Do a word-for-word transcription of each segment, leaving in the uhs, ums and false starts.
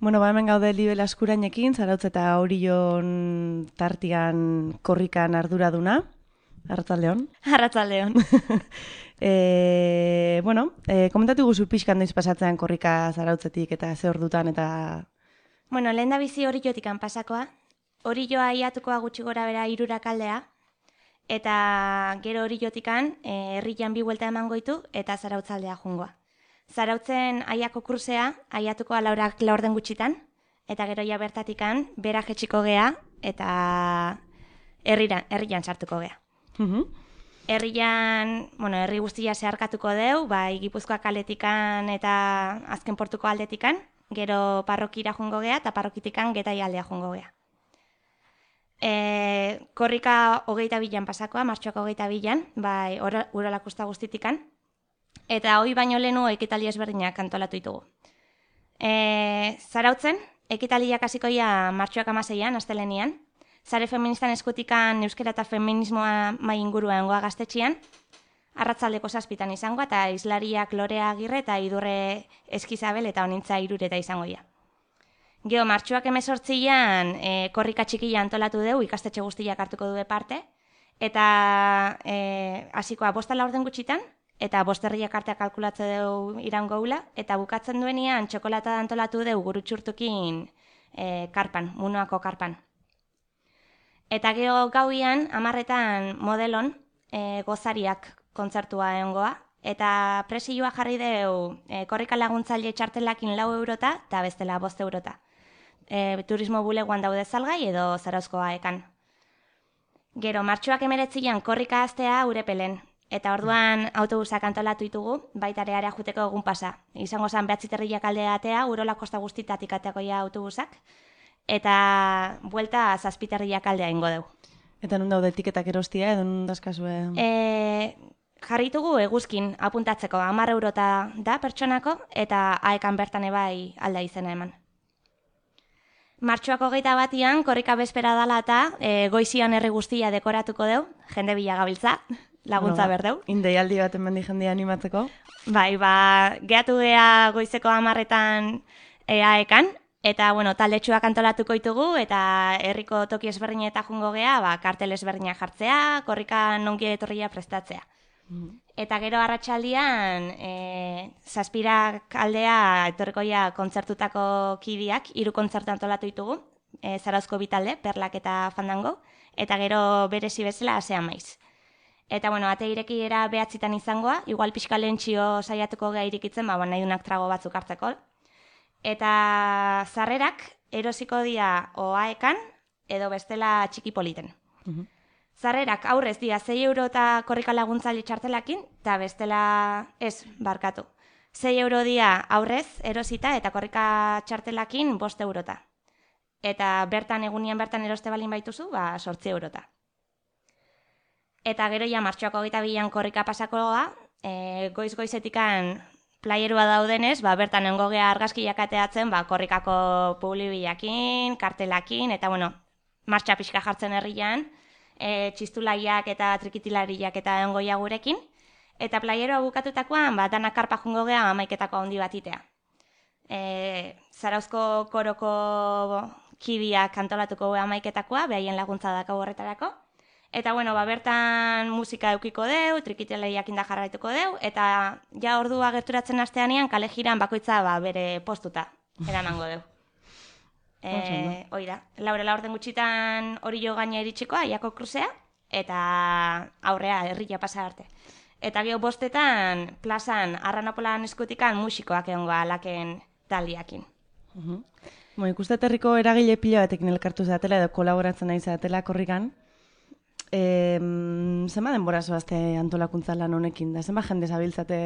Bueno, ba hemen gaude Libe Laskurainekin, Zarautz eta Orion tartian korrikan arduraduna. Arratsaldeon. Arratsaldeon. e, bueno, e, komentatu guzu pixkan noiz pasatzean korrika Zarautzetik eta ze ordutan eta... Bueno, lehen da bizi Oriotikan pasakoa. Orioa iatukoa gutxi gora bera hirurak aldea. Eta gero Oriotikan e, herrian bi buelta emango ditu eta Zarautzaldea jungoa. Zarautzen aiako kruzea, aiatuko alaurak laurden gutxitan, eta gero ja bertatikan, bera jetxiko gea, eta herrian, herrian sartuko gea. Uh-huh. Herrian, bueno, herri guztia zeharkatuko deu, bai Gipuzkoak aldetikan eta azken portuko aldetikan, gero parrokira jungo gea, eta parrokitikan Getai aldea jungo gea. E, korrika hogeita bilan pasakoa, martxoak hogeita bilan, bai urolakusta guztitikan, eta hoi baino lehenu ekitaldi ezberdinak antolatu ditugu. E, Zarautzen, ekitaliak hasikoia martxoak amaseian, astelenian, Zare feministan eskutikan euskera eta feminismoa mai ingurua engoa gaztetxian, arratzaldeko zazpitan izangoa, eta izlariak Lorea Agirre eta Idurre Eskizabel eta Honintza Irureta izangoia. Geo, martxoak emezortzian e, korrika txikia antolatu dugu, ikastetxe guztiak hartuko du parte, eta e, hasikoa bosta laurden gutxitan, eta bosterriak artea kalkulatze dugu irango gula, eta bukatzen duenean txokolata antolatu dugu gurutxurtukin e, karpan, munoako karpan. Eta geho gauian, amarretan modelon e, gozariak kontzertua egongoa, eta presioa jarri dugu e, korrika laguntzaile txartelakin lau eurota, eta bestela bost eurota. E, turismo bulegoan daude salgai edo Zarauzkoa ekan. Gero, martxoak emeretzian korrika aztea Urepelen, eta orduan autobusak antolatu ditugu, baita ere area juteko egun pasa. Izango zan behatziterriak aldea atea, Urola kosta guztitatik ateakoia autobusak, eta buelta zazpiterriak aldea ingo dugu. Eta nun daude etiketak erostia, edo nun dazkazue? E, jarritugu eguzkin apuntatzeko, hamar eurota da pertsonako, eta aekan bertan ebai alda izena eman. Martxoak hogeita batian, korrika bezpera dala eta e, goizian herri guztia dekoratuko deu, jende bila gabiltza, laguntza no, berdeu. Indeialdi bat emendi jendea animatzeko. Bai, ba, gehatu gea goizeko hamarretan e, aekan, eta, bueno, taldetxuak antolatuko ditugu, eta herriko toki ezberdina eta jungo gea, ba, kartel ezberdina jartzea, korrika nongi etorria prestatzea. Mm. Eta gero arratsaldian e, zazpirak aldea etorrikoia kontzertutako kidiak, hiru kontzertu antolatu ditugu, e, Zarauzko bitalde, Perlak eta Fandango, eta gero berezi bezala asean maiz. Eta, bueno, ate irekiera behatzitan izangoa, igual pixka lehentxio saiatuko gea irikitzen, ba, nahi dunak trago batzuk hartzeko. Eta zarrerak erosiko dira oaekan edo bestela txiki politen. Uh-huh. Zarrerak aurrez dira sei euro eta korrika laguntzaile txartelakin, eta bestela ez barkatu. sei euro dira aurrez erosita eta korrika txartelakin bost eurota. Eta bertan egunian bertan eroste balin baituzu, ba sortzi eurota. Eta gero ja martxoak hogeita bian korrika pasakoa, e, goiz-goizetikan playerua daudenez, ba, bertan nengo gea argazkiak ateatzen, ba, korrikako publibiakin, kartelakin, eta, bueno, martxa pixka jartzen herrian, e, txistulaiak eta trikitilariak eta engoia gurekin, eta playeroa bukatutakoan, ba, danak karpa jungo gea amaiketako handi bat itea. E, Zarauzko koroko kidiak antolatuko gea amaiketakoa, behaien laguntza dako horretarako, eta, bueno, ba, bertan musika eukiko deu, trikitilariak inda jarraituko deu, eta ja ordua gerturatzen hasteanean kale jiran bakoitza ba, bere postuta eramango deu. E, hoi da, laurela orden gutxitan hori jo gaina iritsiko, aiako kruzea, eta aurrea herria pasa arte. Eta geho bostetan, plazan, Arranopolan eskutikan musikoak egongo alaken taldiakin. Uh-huh. Bo, ikuste herriko eragile pila batekin elkartu zatela edo kolaboratzen nahi zatela korrikan. E, zema denbora zoazte antolakuntza lan honekin da? Zema jende zabiltzate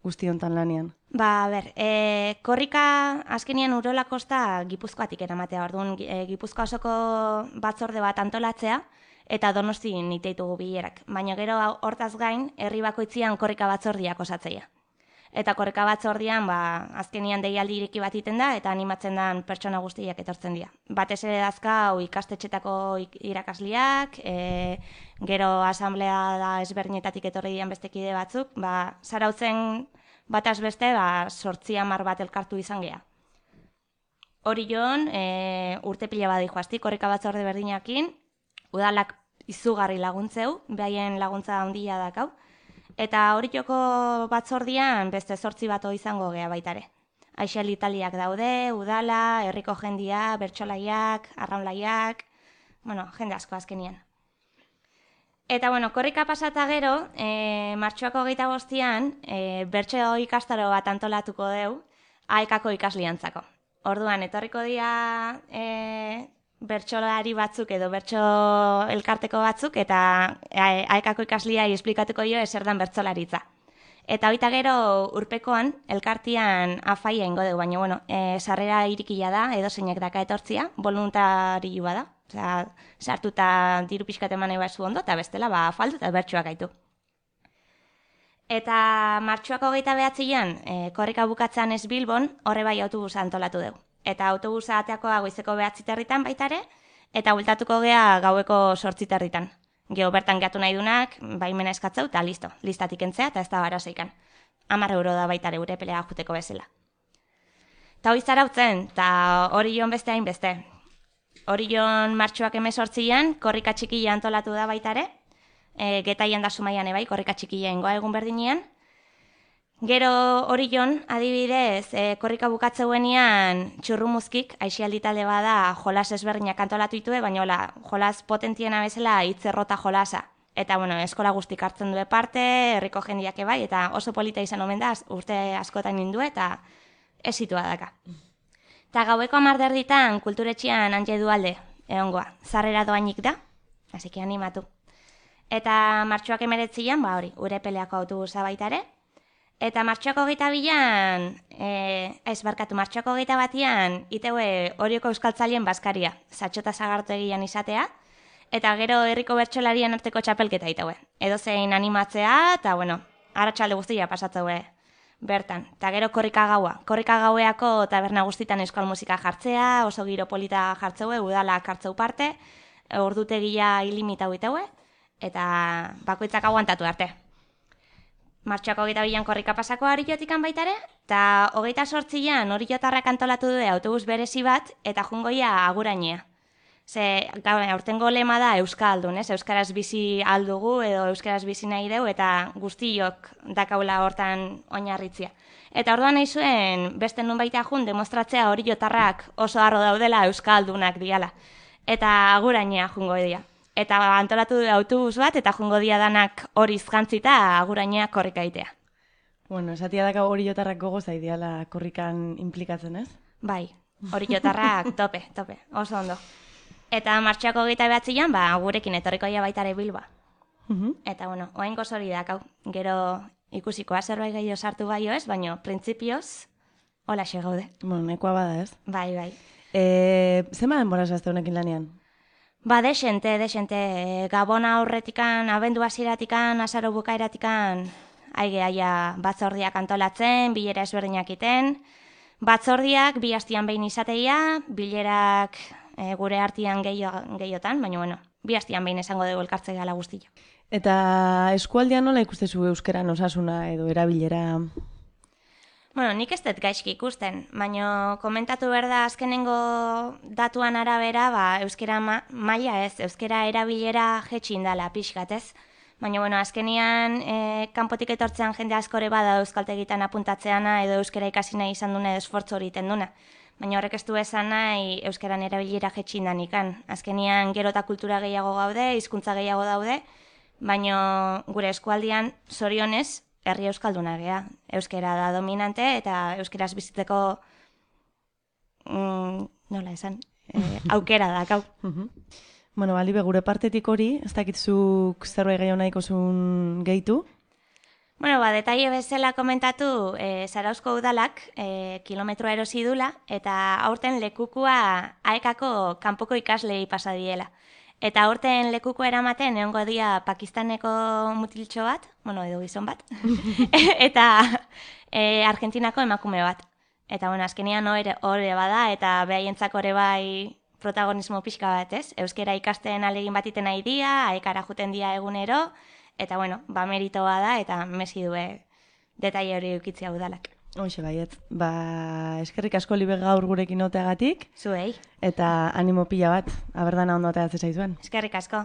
guzti hontan lanian? Ba, ber, e, korrika azkenian Urola kosta Gipuzkoatik eramatea, orduan e, Gipuzkoa osoko batzorde bat antolatzea, eta Donosti niteitugu bilerak. Baina gero hortaz gain, herri bakoitzian korrika batzordiak osatzeia. Eta korrika batzordian, ba, azkenian deialdi ireki bat iten da, eta animatzen dan pertsona guztiak etortzen dira. Batez ere dazka, ikastetxetako irakasliak, e, gero asamblea da ezberdinetatik etorri dian bestekide batzuk, ba, Zarautzen bataz beste, ba, sortzi hamar bat elkartu izan gea. hori joan, e, urte pila badi joazti, korrika batzorde berdinakin, udalak izugarri laguntzeu, behaien laguntza handia dakau, eta hori joko batzordian beste zortzi bato izango gea baitare. Aixel italiak daude, udala, herriko jendia, bertsolaiak, arraunlaiak, bueno, jende asko azkenian. Eta, bueno, korrika pasata gero, e, martxoako hogeita bostian, e, bertso ikastaro bat antolatuko deu, aekako ikasliantzako. Orduan, etorriko dira e, bertsolari batzuk edo bertso elkarteko batzuk, eta aekako ikasliai esplikatuko jo eserdan bertsolaritza. Eta hoita gero urpekoan, elkartian afaia ingo dugu, baina, bueno, e, sarrera irikila da, edo zeinek daka etortzia, voluntarioa da. Osea, sartuta diru pixkat eman eba zu ondo, eta bestela, ba, afaldu eta bertsuak gaitu. Eta martxoako hogeita behatzian, e, korrika bukatzean ez Bilbon, horre bai autobusa antolatu dugu. Eta autobusa ateakoa goizeko behatziterritan baitare, eta bultatuko gea gaueko sortziterritan. Geo bertan geatu nahi dunak, baimena eskatzeu, eta listo, listatik entzea, eta ez da bara zeikan. Hamar euro da baitare ure pelea juteko bezala. Eta hori zarautzen, eta hori joan beste hain beste. Hori joan martxoak emezortzian, korrika txikila antolatu da baitare, e, getaian da sumaian ebai, korrika txikila ingoa egun berdinean. Gero hori joan, adibidez, e, korrika bukatzeuenian txurrumuzkik, aixialdi talde bada jolas ezberdinak antolatu ditue, baina hola, jolas potentiena bezala hitzerrota jolasa. Eta, bueno, eskola guztik hartzen due parte, herriko jendiak ebai, eta oso polita izan omen da, urte askotan nindu eta ez zitua daka. Eta gaueko amarderditan kulturetxean hantxe dualde, egongoa, zarrera doainik da, hasiki animatu. Eta martxoak emeretzian, ba hori, ure peleako autobusa baitare. Eta martxoako geita bilan, e, ez barkatu, martxoako geita batian, iteue horioko euskaltzalien bazkaria, zatxota zagartu egian izatea, eta gero herriko bertsolarien arteko txapelketa iteue. Edo zein animatzea, eta bueno, arratsalde guztia pasatzeue bertan. Eta gero korrika gaua. Korrika gaueako taberna guztitan euskal musika jartzea, oso giro polita jartzeue, udalak hartzeu parte, ordutegia ilimitau iteue, eta bakoitzak aguantatu arte. Martxoako hogeita bilan korrika pasako Arillotikan baitare, eta hogeita sortzian Orillotarrak antolatu du autobus berezi bat, eta jungoia agurainea. Ze, aurtengo lema da euskaldun, ez? Euskaraz bizi aldugu edo euskaraz bizi nahi deu, eta guztiok dakaula hortan oinarritzia. Eta orduan nahi zuen, beste nun baita jun, demostratzea Orillotarrak oso harro daudela euskaldunak diala. Eta agurainea jungo edia. Eta antolatu du autobus bat, eta jungo dia danak hori izgantzita agurainea korrika itea. Bueno, esatia daka Orillotarrak gogoz aideala korrikan implikatzen, ez? Bai, Orillotarrak tope, tope, oso ondo. Eta martxoako hogeita behatzian, ba, gurekin etorrikoia baitare Bilba. Uh-huh. Eta, bueno, oain gozori dakau. Gero ikusikoa zerbait gehiago sartu baino ez, baina printzipioz, hola xe gaude. Bueno, nekoa bada, ez? Bai, bai. E, zema denbora zazte honekin lanean? Ba, desente, desente. Gabona aurretikan, abendu hasieratikan, azaro bukaeratikan, aige aia batzordiak antolatzen, bilera ezberdinak iten. Batzordiak bi hastian behin izateia, bilerak e, gure artian gehiotan, baina bueno, bi hastian behin esango dugu elkartzea gala guztia. Eta eskualdean nola ikustezu euskeran osasuna edo erabilera? Bueno, nik ez dut gaizki ikusten, baina komentatu behar da azkenengo datuan arabera, ba, euskera ma maila ez, euskera erabilera jetxin dala pixkat ez. Baina, bueno, azkenian e, kanpotik etortzean jende askore bada euskaltegitan apuntatzeana edo euskera ikasi nahi izan duna edo esfortzu hori iten duna. Baina horrek ez du esan nahi euskeran erabilera jetxin danikan. Azkenian gero eta kultura gehiago gaude, hizkuntza gehiago daude, baina gure eskualdian zorionez, herri euskalduna gea. Euskera da dominante eta euskeraz bizitzeko mm, nola esan, e, aukera dakau. Uh-huh. Bueno, bali, gure partetik hori, ez dakitzuk zerbait gehiago nahiko zuen gehitu? Bueno, ba, detaile bezala komentatu, e, Zarauzko udalak e, kilometroa erosi dula, eta aurten lekukua aekako kanpoko ikaslei pasa diela. Eta aurten lekuko eramaten egongo dia Pakistaneko mutiltxo bat, bueno, edo gizon bat, eta e, Argentinako emakume bat. Eta, bueno, azkenian hori bada, eta behaientzako ere bai protagonismo pixka bat, ez? Euskera ikasten alegin batiten nahi dia, aekara juten dia egunero, eta, bueno, ba meritoa da, eta mesi due detaile hori eukitzea udalak. Hoxe baiet, ba, eskerrik asko libe gaur gurekin oteagatik, Zuei. eta animo pila bat, aberdana ondo ateratzen zaizuen. Eskerrik asko.